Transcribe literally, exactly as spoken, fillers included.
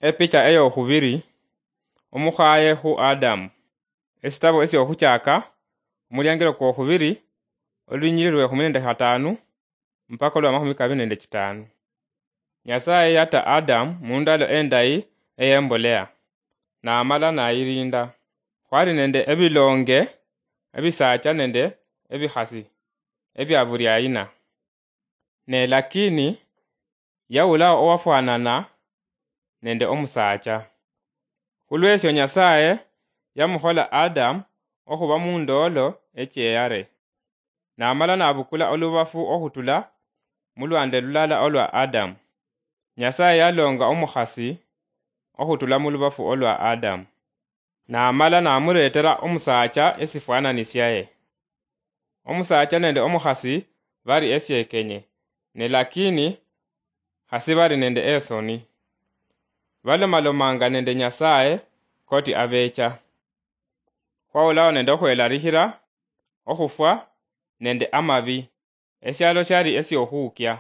Epicha eyokhubiri, omukhaye khu Adamu. Esitabo esyokhuchaka, omuliangelo kwokhubiri, olulinyilili lwekhumi nende khatanu mpaka olwa makhumi kabiri nende chitanu. Nyasaye yata Adamu mundalo endayi eyembolea, namala nayilinda. Khwali nende ebilonge ebisacha nende ebikhasi ebia buli aina. Ne lakini yawulawo owafwanana nende omusaacha. Khulwesyo Nyasaye yamukhola Adamu okhuba mundoolo echeyare, namala nabukula olubafu okhutula mulwande lulala olwa Adamu. Nyasaye yalonga omukhasi okhutula mulubafu olwa Adamu, namala namuretera omusaacha esifwanani syaye. Omusaacha nende omukhasi bari esyekenye, ne lakini khasi bari nende esoni. Balomalomanga nende Nyasaye koti abecha. Khwawulawo nende okhwelarikhira, okhufwa, nende amabi. Esyalo syali esyokhuukya.